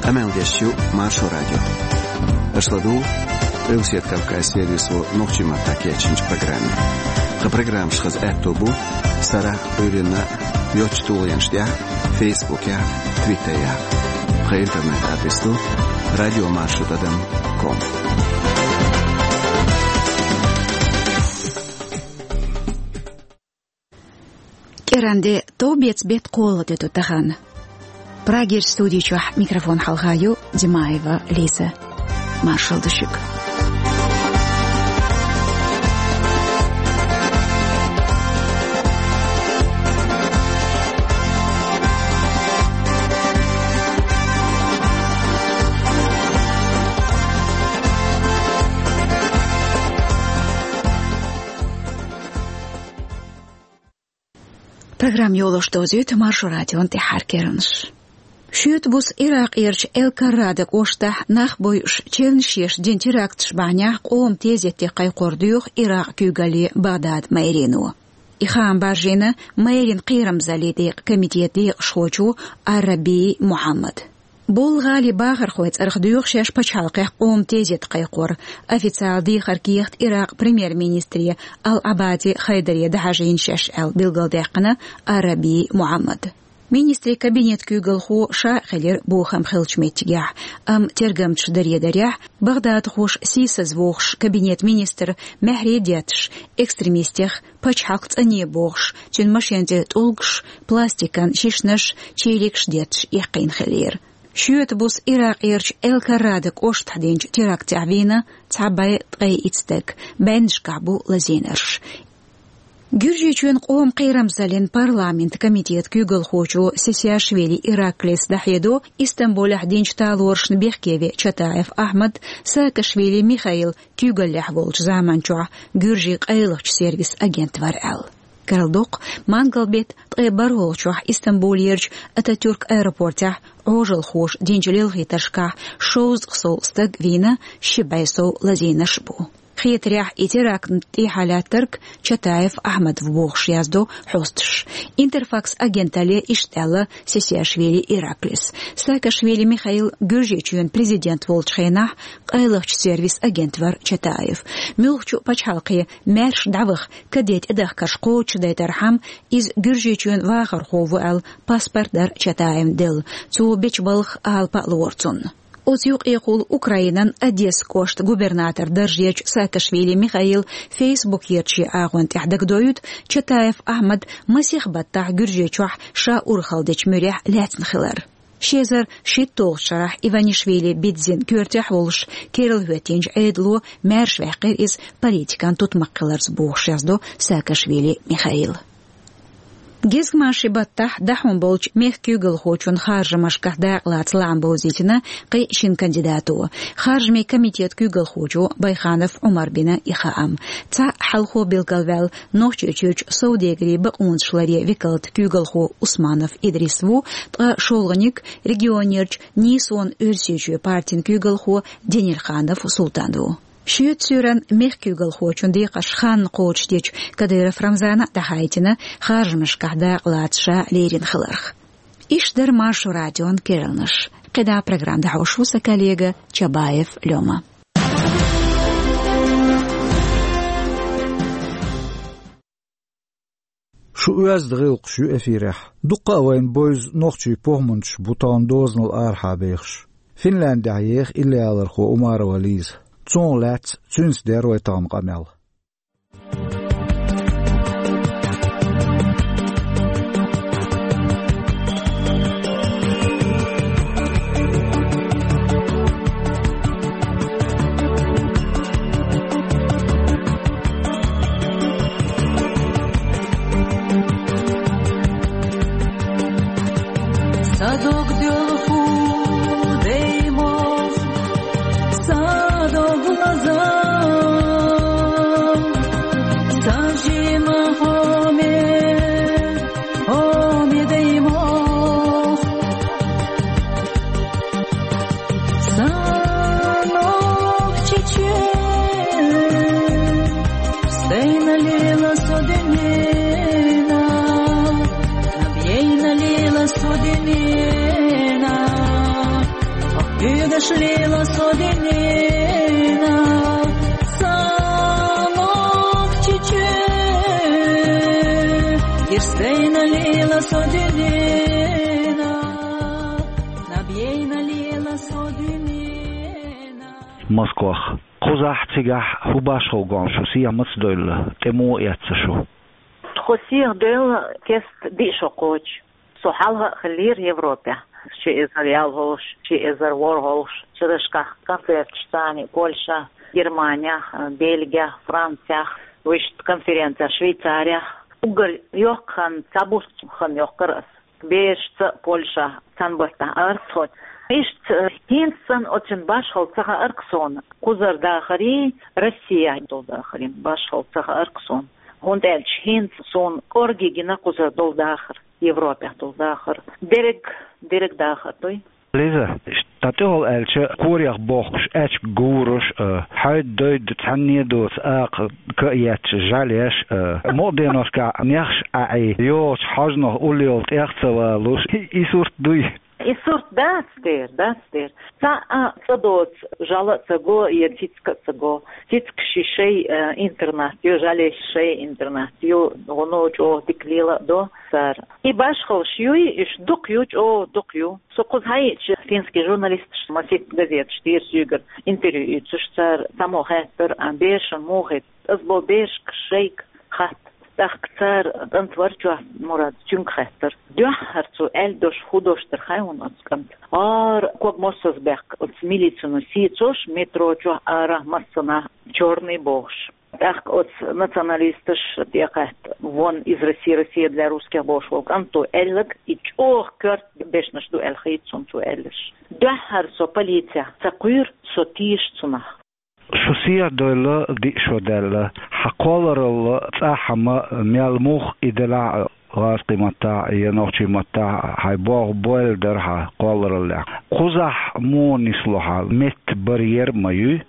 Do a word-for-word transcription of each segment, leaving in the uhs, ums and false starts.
Къамел деш ю Маршо радио. Аша ладугӀу Къилбаседа Кавказан сервисо нохчийн маттахь кечйинчу программе. Тхан программаш хаза аьтто бу сарахь а, Ӏуьйранна а йоцачу тулгӀенаш тӀехь а, Фейсбукехь а, Твиттерехь а. Тхан интернет-адрес ду радио маршо тӀадам ком. КӀиранде товбеца беттан кхоалгӀа де ду тахана. Прагерчу студи чохь микрофон хьалха ю Димаева Лиза. Маршалла ду шуьга. Программа йолош довзуьйту Маршо радион тӀаьххьара керланаш. Шоьтан буса Иракъерчу Эл-Каррада кӀоштахь нах бойуш, чевнаш еш дина теракташ бахьанехь къоман тезетте кхайкхор доьху Иракъан куьйгалле Багдадан мэрино. И хаам баржийна мэрин кхерамзаллин декъан комитетан декъашхочо Ар-Раби Мухьаммада. Боллу гӀалин бахархойн цӀарах доьху шаьш пачхьалкхехь къоман тезетте кхайкхор, официалан дехар кехат Иракъан премьер-министре Ал-Ӏабади Хайдаре дан хьажийна шаьш аьлла билгалдаьккхина Ар-Раби Мухьаммада. Министрийн кабинетан куьйгалхо ша а хилира бохам хиллачу меттигехь, амма тергамчаша даре дарехь, багдадхоша сийсазвохуш кабинетан министр маьхьарий детташ, экстремистех пачхьалкх цӀанъе бохуш, цуьнан машен тӀе тӀулгаш, пластикан шишнаш, чийлигаш детташ эккхийна хиллера. Шоьтан буса Иракъерчу Эл-Каррада кӀоштахь динчу терактехь вийна цхьа бӀе ткъе итт стаг, бӀеннашкахь бу лазийнарш. Гуьржийчоьнан къоман кхерамзаллин парламентан комитетан куьйгалхочо Сесиашвили Ираклис дӀахьедо Истамбулехь динчу талорашна бехке веа Чатаев Ахьмад Саакашвили Михаил куьйгаллехь волчу заманчохь гуьржийн къайлахчу сервисан агент вара аьлла. Карладоккху, мангал беттан ткъе бархӀолгӀачохь Истамбулерчу Ататюрк аэропортехь Ӏожалхоша динчу лелхийтаршкахь шовзткъа сов стаг вийна, ши бӀе сов лазийнарш бу. Хетарехь, и терактна тӀехьа лаьттарг Чатаев Ахьмад ву бохуш яздо хьосташа. Интерфакс агенталле иштта аьлла Сесиашвили Ираклис. Саакашвили Михаил Гуьржийчоьнан президент волчу хенахь къайлахчу сервисан агент вара Чатаев. Муьлххачу а пачхьалкхе маьрша дӀаваха каде тӀедахкарш кхочушдайтархьама, иза Гуьржийчоьнан вахархо ву аьлла паспорт дара Чатаевна делла. Цо бечу балхах алапа а лора цунна. Оцу юкъехула Украинан Одессан кӀоштан губернаторан даржерчу Саакашвили Михаила Фейсбукерчу агӀон тӀехь дагадоуьйту Чатаев Ахьмад масех баттахь Гуьржийчохь ша урхалла дечу муьрехь лаьцна хилар. Ши эзар шийтталгӀачу шарахь Иванишвили Бидзин коьртехь волуш керла хӀоьттинчу Ӏедало маьрша ваьккхира иза политикан тутмакх хиларца бохуш яздо Саакашвили Михаила. Гезгмашин баттахь дӀахьун болчу мехкан куьйгалхочун харжамашкахь дакъалаца лаам бовзийтина кхин шина кандидато. Харжамийн комитетан куьйгалхочо Байханов Ӏумара бина и хаам. Цхьаъ хьалхо билгалваьлла Нохчийчуьрчу совдегарийн бакъонаш ларъен векалан куьйгалхо Усманов Идрис ву, ткъа шолгӀаниг регионерчу Нийсонан Оьрсийчоь партин куьйгалхо Денирханов Султан ву. Шоьтан суьйранна мехкан куьйгалхочун декхарш ханна кхочушдечу Кадыров Рамзана а дӀахаийтина харжамашкахь дакъалаца ша лерина хиларх. Иштта дара Маршо радион керланаш. КхидӀа программа дӀахьош ву сан коллега Чабаев Лёма. Шу оьзда гӀиллакхаш ю эфирехь. Дуккха а вайна бевза нохчийн похӀманчаш бу тахана дозанал арахьа бехаш. Финляндехь еха иллиалархо Умарова Лиза. Цунах лаьцна, цуьнца дера вай тахана къамел. Садок делху деймох, садок лаза, сажима хоме, хоме деймох. Санок чечен, стейна лила соденена, набьейна лила соденена, Уьдаш лела со дуьненал, са нохчи чу. Ирсдайна лела со дуьненал, наб яйна лела со дуьненал. Москвах. Кхузахь, цигахь хӀун башхалла гома шу, сехьа маца девлла, тӀе муха эцна шу? Тхо сехьа девлла кест диъ шо кхочу. Со хьалха а хиллера Европехь. Ши эзар ялхолгӀачу, ши эзар ворхӀолгӀачу шерашкахь концерташ царна Польшахь, Германехь, Бельгехь, Францехь, вуьшта конференцехь Швейцарехь. Уггар йоккха хан цхьаболччунна хан йоккхура ас. Берашца Польшахь цхьана баттахь арахь тхо. Иштта хӀинца санна оцун башхалла ца хаьара-кх суна. Кхузара дахарий, Россехь долу дахарий башхалла ца хаьара-кх суна. ХӀунда аьлча хӀинца суна кӀорггера гина кхузара долу дахар, Европехь долу дахар. Дерриг, дерриг дахар дуй. Лиза, тӀехула аьлча, корех бохкуш, аьчка гураш, а, хьайда-дойда цхьанне а доцу акха ка а етташ, жӀаьлеш, а, мукъа деношкахь нехаш а Ӏий, йогӀучу хьожанах уллехула тӀех а ца валуш, и, и сурт дуй? И сурт дац дера, дац дера. Цхьа а ца доцу, жӀаьла а ца го, я цицка а ца го. Цицка ши шай, а, интернат ю, жӀаьлеш шай интернат ю, гӀуно чӀогӀа дика лела а до цара. И башхаллаш юй, уьш дукха ю, чӀогӀа дукха ю. Со кхуза хьаеъча, финский журналисташ, масийтта газеташ дийра соьгара интервью оьцуш, цара цхьаммо хаьттира, а, берашна муха хетта. Ас боху, берашка шайга хатта. ТӀаккха цара, кӀант вара чохь, Мурад, цуьнга хаьттира. Дуьххьара цо аьлла дош хӀун дош дара хаьий хьуна оцу кӀанта? ХӀара ког мосазза баьккхина оцу милицино сецош метро чохь арахь массанхьа чёрный бохуш. ТӀаккха оцу националисташа тӀекхаьчча, вон из России, Россия для русских бохуш волу кӀанто аьлларг, и чӀогӀа коьрта дешнаш ду аьлла хета суна цо аьлларш. Дуьххьара со полицехь ца кхуьйра, со тешаш цунах. Шу сехьа девлла диъ шо даьлла. Хьан кхолларалла цӀахь ма мел муха и делахь а, гӀазкхийн маттахь а, я нохчийн маттахь а, хьайн болх бойла дара хьан кхоллараллехь. Кхузахь муха нисло хьан, метта барьер ма юй?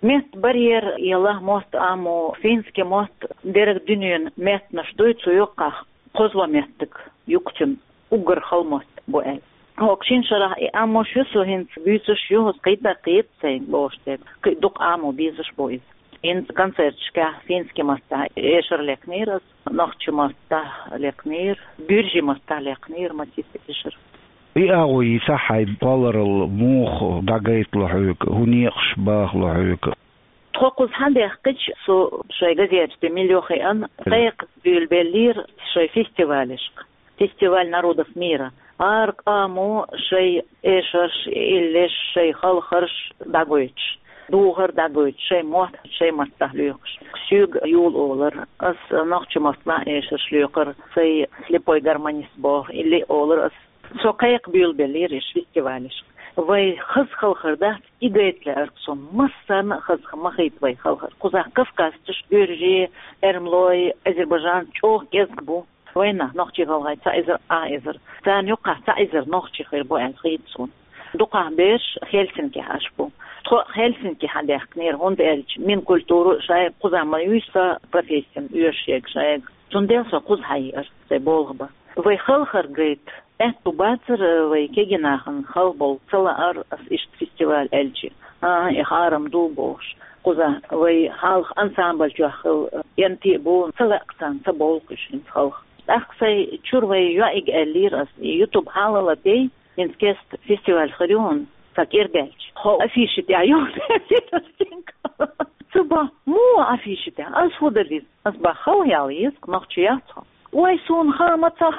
Метта барьер яла, мотт а мо, финский мотт дерриг дуьненан меттанаш дуй цу юккъехь, кхозлагӀа меттиг ю-кх цуьнан, уггар хала мотт бу аьлла. ХӀокху шина шарахь и а мо шу со хӀинца буьйцуш ю, хӀокху кхин а даккхийта сайн лоруш дерг, кхин а дукха а мо безаш бу иза. ХӀинца концерташкахь финский маттахь эшар лекнера ас, нохчийн маттахь лекнера, буьржийн маттахь лекнера, масийтта эшар. И агӀо йийцахь хьайн кхолларалла муха дӀагайтало хьоьга, хӀун некъаш бахало хьоьга? Тхо кхуза хьан даьккхича, со шайн газеташ тӀе мила йохийна, кхайкха буьйлабеллера шайн фестивалешка. Фестиваль народов мира. ХӀара къамо шайн эшарш, иллеш, шайн халхарш дӀагойтуш, духар дӀагойтуш, шайн мотт шайн маттахь лоькхуш. Соьга йолу олура, ас нохчийн маттахь эшарш лоькхура, сайн слепой гармонист боху, или олура ас. Со кхайкха буьйлабеллера иш фестивалешка. Вай хаза халхар дац, и гайта лаьара-кх суна, массарна а хаза ма хийта вай халхар. Кхузахь кавказцаш, буьржий, эрмалой, азербайджанцаш чӀогӀа кӀезиг бу. Вайнах нохчий-гӀалгӀай цхьа эзар, а эзар. Царна юккъехь цхьа эзар нохчий хир бу аьлла хета суна. Дукхахь бераш Хельсинкихь Ӏаш бу. Тхо Хельсинки хьан даьккхинера, хӀунда аьлча Минкультура шайга кхузахь ма юй сан профессина оьшуш ерг шайга. Цундела со кхуза хьаеара, сайн болх бан. Вай халхар гайта аьтту бацара, вай кегий нахана хала болу ца лаара ас иштта фестиваль аьлча. ХӀан-хӀа, и хьарам ду бохуш. Кхузахь вай хьалха ансамбль чохь хилла кӀентий а бу, ца лаьа-кх царна, ца бовла-кх уьш хӀинца халха. ТӀаккха сайн чуьра вай йоӀига аьллера ас, и ютуб хьалала тӀе, хӀинца кеста фестиваль хир ю хьуна, сан кӀира даьлча. Хьо афиша тӀехь ю, аьллера ас цуьнга. Цо боху, муха афиша тӀехь? Ас хӀун дала иза? Ас боху, хала яла еза-кх, нохчи яц хьо. Ой, суна хан ма ца.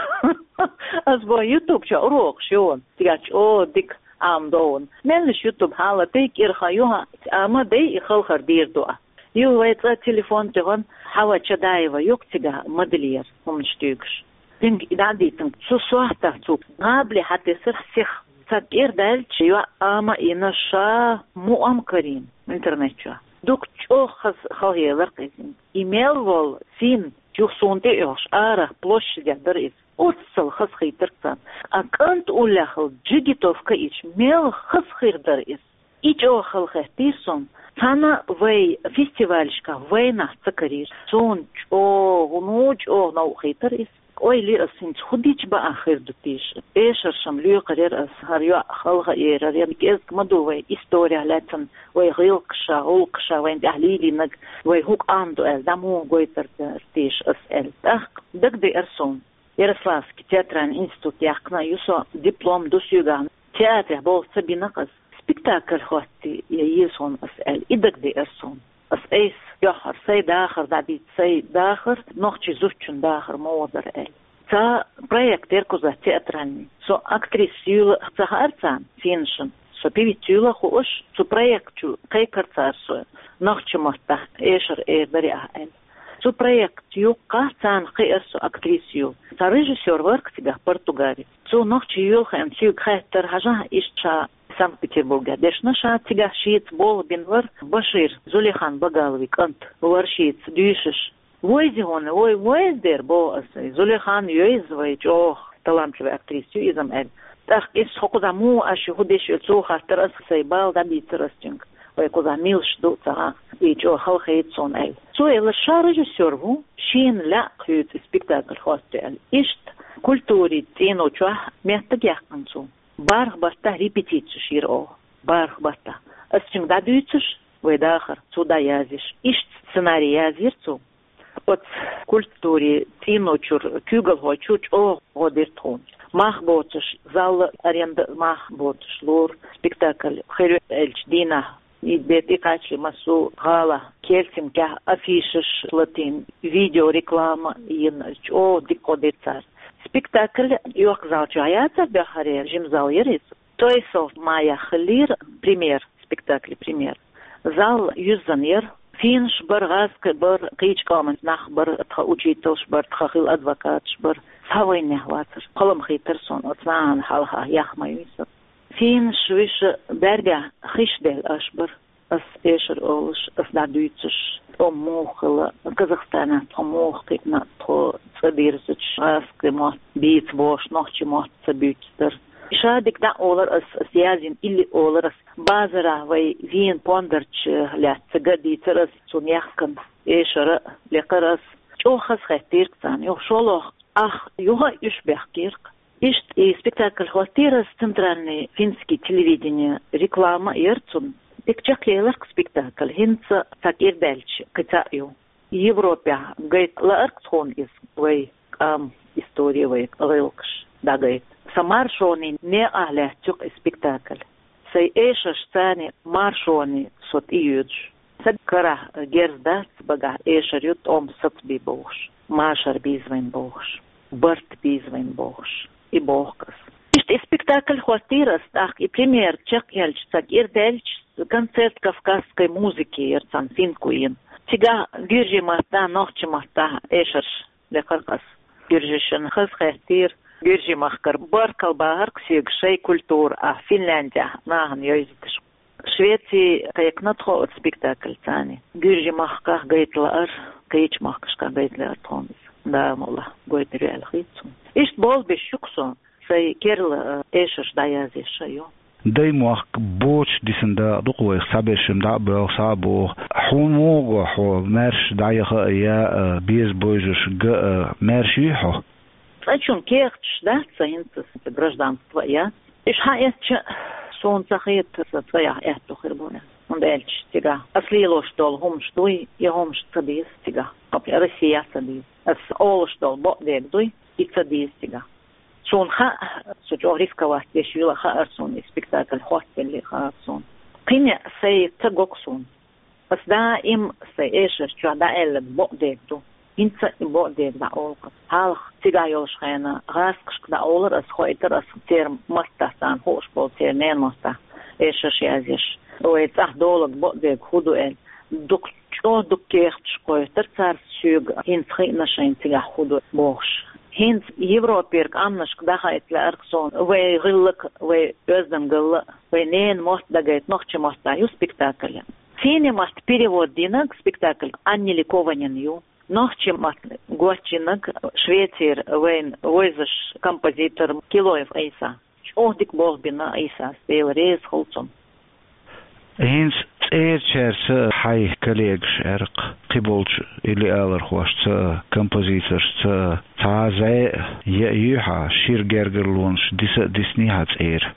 Ас боху, ютуб чохь урокаш ю хьуна, цигахь чӀогӀа дика Ӏамадо хьуна. Меллаша ютуб хьалала тӀе, кӀира хан ю хьан, Ӏамадай, и халхар дийр ду ахь. Ю, вай цкъа телефон тӀехь хьан Хьава Чадаева ю-кх цигахь модельер, хӀуманаш туьйгуш. Цуьнга и дӀа а дийцина, цу сохьтахь цо гӀабали хьатесира сиха. Сан кӀира даьлча, йоӀ Ӏама а йина, ша мукъам а карийна интернет чохь. Дукха чӀогӀа хаза халхаелира-кх иза. И мел волу син юха суна тӀе а оьхуш, арахь площадехь дара иза. Оццул хазахийтира-кх царна. А кӀант уллехь хилла джигитовка йича, мел хаза хир дара иза. И чӀогӀа халахеттийра суна. Цхьана вай фестивалашкахь вайнах ца карийра. Суна чӀогӀа, ну, чӀогӀа новкъа хийтар иза. Ойла йира ас, хӀинца хӀун дича баа хир ду тийша. Эшаршна лоькхур яр ас, хӀара йоӀ халха а ерар, я кӀезиг ма ду вай историх лаьцна, вай гӀиллакхаш, гӀуллакхаш, вайна тӀехь лелийнарг, вай хӀун къам ду аьлла, дӀа муха гойтар дар тийша ас аьлла. ТӀаккха дагадеара суна. Ярославский театральный институт яьккхина ю со, диплом ду соьгахь. Театрехь болх ца бина-кх ас. Спектакль хӀотта я еза хьуна ас аьлла, и дагадеара суна. Ас айса йоьхьар, сай дахар дӀадийца, сай дахар, нохчий зудчун дахар муха дар аьлла. Цхьа проект яр кхузахь театральный. Со актриса юйла ца хаьара царна, финнашна. Со певица юйла хууш, цу проект чу кхайкар цара со, нохчийн маттахь эшар эр дарий ахь аьлла. Цу проект юккъехь царна кхиар со актриса юйла. Цхьа режиссёр вар-кх цигахь, португалец. Цо нохчий йоьлху аьлла, цуьнга хаьттар, хьажахь, иштта ша Санкт-Петербургехь дешна, ша цигахь шеца болх бина вар, Башир, Зулейхан Багаловн кӀант, вар шеца дуьйшуш. Войзи хьуна, вой, войз дера, боху ас. Зулейхан йойза вай, чӀогӀа талантливая актриса ю иза-м аьлла. ТӀаккха иза, хьо кхузахь муха Ӏаш ю, хӀун деш ю, цо хаьттар ас, сай бала дӀадийцар ас цуьнга. Вай кхузахь милаш ду ца хаьа, и чӀогӀа халахета суна аьлла. Цо элира, ша режиссёр ву, шена лаьа кхуьйцу спектакль хӀотта аьлла. Иштта культурин цӀийно чохь меттиг яьккхина цо. БархӀ баттахь репетицеш йира оха. БархӀ баттахь. Ас цуьнга дӀадуьйцуш, вай дахар, цо дӀаязйеш. Иштта сценарий язйира цо. Оцу культурин цӀийно чуьра, куьйгалхой чуьра чӀогӀа гӀо дира тхуна. Мах боцуш, зал аренда мах боцуш лора спектакль. Хир ю аьллачу дийнахь, и де тӀекхачале массо а гӀалахь, Хельсинкехь афишаш латийна, видеореклама йина, чӀогӀа дика гӀо дира цара. Спектакль йоккха зал чохь яцара, беххьара жима зал яра иза. Той сов мая хиллера премьер, спектакль премьер. Зал юьззина яра. Финнаш бара, гӀазкхий бара, кхечу къоман нах бара, тхан учительш бара, тхан хилла адвокаташ бара. Цхьа вайнех вацара. Кхоллам хийтар суна, оцу нахана хьалха яхма вийса. Финнаш вуьйш баьргахь хиш делла аш бара. Ас эшар олуш, ас дӀадуьйцуш, тӀом муха хилла, Казахстанехь тхо муха кхиъна, тхо цӀа дирзича, гӀазкхи мотт бийца бохуш, нохчи мотт ца буьйцуш дара. Ша дика дӀа олар ас, ас язйина илли олар ас. Базарахь вай вийна пондарча лаьцна ца ган дийцар ас, цунна яхкана эшара лекхар ас. ЧӀогӀа хазахеттийра царна, юха шолгӀа ах юха а уьш бехкийра-кх. Иштта и спектакль хӀоттийра ас, центральный финский телевидение реклама а яра цунна. Дика чекхъелира-кх спектакль, хӀинца цхьа кӀира даьлча кхин цхьаъ ю. Европехь гайта лаьара-кх тхуна иза, вай къам истори, вай гӀиллакхаш дӀагайта. Сан маршонан некъахь лаьтташ ю-кх и спектакль. Сайн эшаршцани маршоне со тӀеоьцуш. Сан карахь герз дац, багахь эшар ю, тӀом сацбе бохуш, машар бийза вайна бохуш, барт бийза вайна бохуш, и боху ас. Иштта и спектакль хӀоттийра ас, тӀаккха и премьера чекхъяьлча, сан кӀира даьлча, концерт кавказской музыки яра цхьана финнко йина. Цигахь гуьржийн маттахь, нохчийн маттахь эшарш лекхар-кх ас. Гуьржишна хазахеттийра, гуьржийн махкара баркалла бахар-кх соьга, шайн культура а Финляндехь нахана йовзийташ. Швеци кхайкхина тхо оцу спектакльца. Гуьржийн махкахь гайта лаьара, кхечу махкашкахь гайта лаьара тхуна иза. Дала мукъ лахь, гойтур ю аьлла хета суна. Иштта болх беш ю-кх со, сайн керла, э, эшарш дӀаязъеш а ю. Даймохк боцуш дисина дакъа ду-кх вайх, цхьаберш-м дӀа а боьлху, схьа а боху. Хьуна муха го хьо, маьрша дӀаяха а, я а, беза бовзуш ган а, маьрша юй хьо? Цкъачунна кехаташ дац сан, хӀинца сан гражданство а яц. Уьш хьаэцча, суна ца хета сан цӀаьхьа аьтто хир бу аьлла. ХӀунда аьлча цигахь ас лелош долу хӀуманаш дуй, и хӀуманаш ца деза цигахь. Кху Россехь ца деза. Ас олуш долу бакъдерг дуй, и ца деза цигахь. Суна хаьа, со чӀогӀа рисковать деш йила хаьара суна, и спектакль хӀоттаделла хаьара суна. Кхин а сайн ца го-кх суна. Ас даим сайн эшар чохь дӀаоьлларг бакъдерг ду. ХӀинца а и бакъдерг дӀаолу-кх ас. Хьалха цигахь йолуш хенахь гӀазкхашка дӀаолура ас, хоуьйтура ас церан маттахь, царна хууш болу, церан ненан маттахь эшарш язъеш. Вай цӀахь долург бакъдерг хӀун ду аьлла. Дукха чӀогӀа дукха кехаташ кхоьттура цара соьга, хӀинца хиъна шайна цигахь хӀун ду бохуш. ХӀинца Европера къамнашка дӀахаийта лаьара-кх суна вайн гӀиллакх, вайн оьздангалла, вайн ненан мотт дагайта нохчийн маттахь ю спектакль. Финнийн матта перевод динарг спектакль Анни Ликованен ю. Нохчийн матта гочйинарг Швецера вайна вевзаш композитор Килоев Ӏийса. ЧӀогӀа дика болх бина Ӏийсас, Дела реза хуьлда цунна. ХӀинца цӀерачаьрца хьай коллегаш аьлча, кхыболчу илли алархошца, композиторшца цхьа зӀе а, е а юй хьан, шира гергарлонаш диса а дисний хьан цӀера?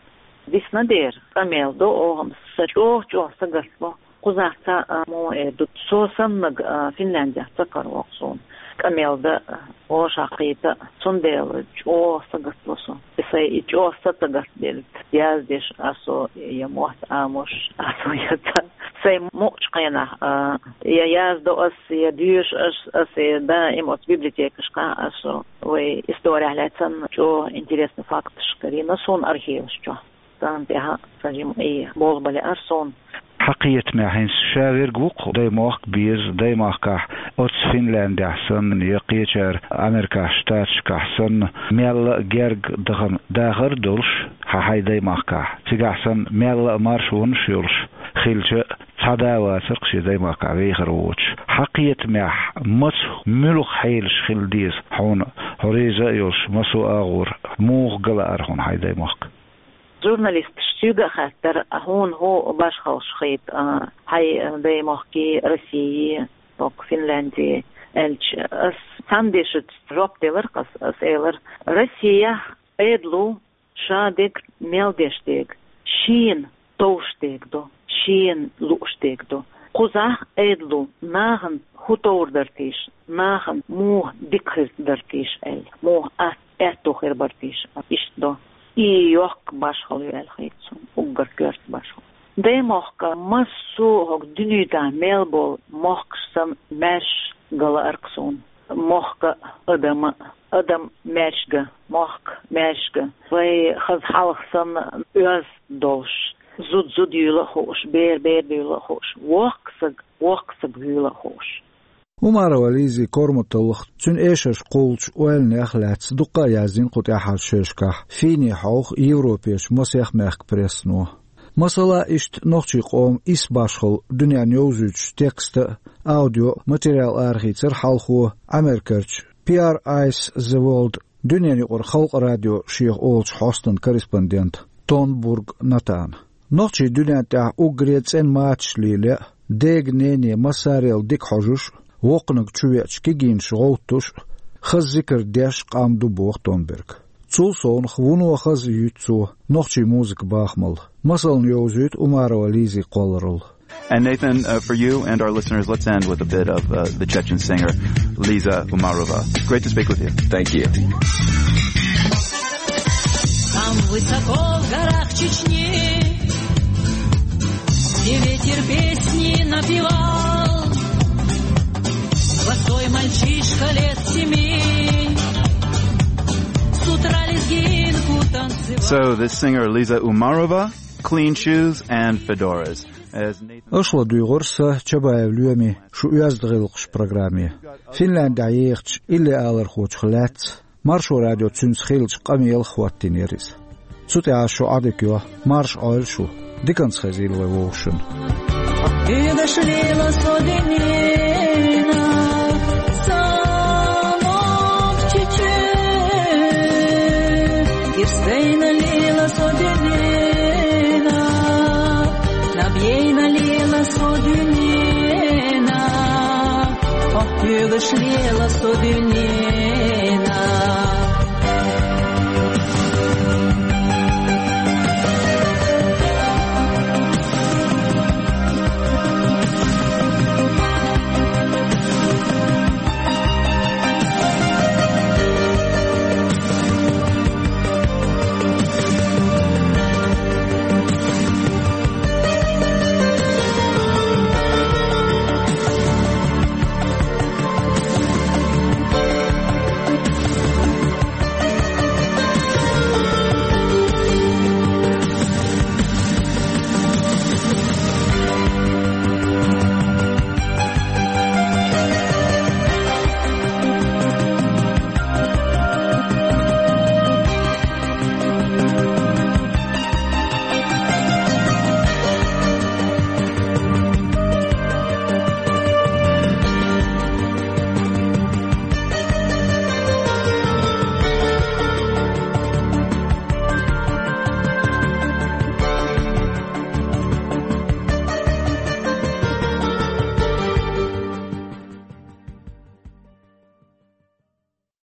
Дисна дера, къамел до оха, сан чӀогӀа-чӀогӀа сагатло. Кхузахь цхьа а муха эр ду, со саннарг а Финляндехь ца каравоккху суна. Къамел дан а, вовшахкхета а, цундела чӀогӀа сагатло со. И сайн и чӀогӀа сацагатделларг, яздеш а со, я мотт Ӏамош а со, я ца. Сайн мукъачу хенахь а, я яздо ас, я доьшу ас, ас, я даим оцу библиотекашкахь а со, вай историхь лаьцна чӀогӀа интересный факташ карийна суна архиваш чохь. Царна тӀехь а сан жима Ӏе болх бан лаьара суна. Хьан кхетамехь, хӀинца ша верг ву-кх даймохк беза, даймахкахь, оцу Финляндехь санна, я кхечара Американ Штаташкахь санна, мелла а герга дахана дахар а долуш, хьан хьайн даймахкахь, цигахь санна, мелла а маршонаш а йолуш хилча, цхьа да а вацара-кх шен даймахкахь вехар воцуш. Хьан кхетамехь, маца, муьлха хьелаш хила деза хьуна, хьо реза а йолуш, массо а агӀор, муха ган лаьара хьуна хьайн даймохк? Журналисташа соьга а хаьттира, хьуна хӀун башхаллаш хийта, а, хьайн даймохкий, России, хӀокху Финляндии аьлча, ас цхьана дешаца жоп делира-кх ас, ас элира: Россехь Ӏедало ша дерг мел деш дерг, шена товш дерг ду, шена лууш дерг ду. Кхузахь Ӏедало нахана хӀун товр дара тийша, нахана муха дика хир дара тийша аьлла, муха атта аьтто хир бара тийша, иштта до. И йоккха башхалла ю аьлла хийта суна, уггар коьрта башхалла. Даймохк массо а хӀокху дуьнен тӀехь мел болу мохкаш санна маьрша ган лаьара-кх суна. Мохк а, адам а, адам маьрша ган, мохк маьрша ган. Вай хаза хьалха санна оьзда долуш, зуда-зуда юйла а хууш, бер-бер буьйла а хууш, воккха саг, воккха саг вуьйла а хууш. Умарова Лизин корматаллех, цуьнан эшарш кхуллучу ойланех а лаьцна дуккха а яздина кху тӀаьххьарчу шерашкахь финийн хьовха Европерчу масех мехкан прессано. Масала, иштта нохчийн къоман исс башхалла дуьненна йовзуьйтуш текст а, аудио а материал арахийцира хьалхо Америкерчу P R I's The World дуьненаюкъара халкъан радио шех олучу хьостан корреспондента Тонбург Натана. Нохчий дуьнен тӀехь уггаре цӀена мачаш лело а, дега-нене массарел дика хьожуш а, воккханиг чувеача кегийнаш гӀовттуш а, хаза зикар деш а къам ду, боху Тонбурга. Цул совнаха вуно хаза юьйцу цо нохчийн музыкан бахамалла. Масална йовзуьйту Умарова Лизин кхолларалла. And Nathan, uh, for you and our listeners, let's end with a bit of, uh, the Chechen singer Liza Umarova. Great to speak with you. Thank you. Там высоко в горах Чечни, где ветер песни напевал, простой мальчишка лет семи, с утра лезгинку танцевал. So this singer Liza Umarova, clean shoes and fedoras. Аша ладуьйгӀира сан, Чабаев Лоьмин, шун «Оьзда гӀиллакхаш» программе. Финляндехь ехачу илли алархочух лаьцна Маршо радио цуьнца хиллачу къамелах хӀоттийнера иза. Цу тӀехь ас шу Ӏодика йо, марша Ӏойла шу, диканца хезийла вай вовшашна. Хьоьгуш лела со дуьненах, самок чечу, ирс дайна лела со дуьненах, наб яйна лела со дуьненах, хьо хьоьгуш лела со дуьненах.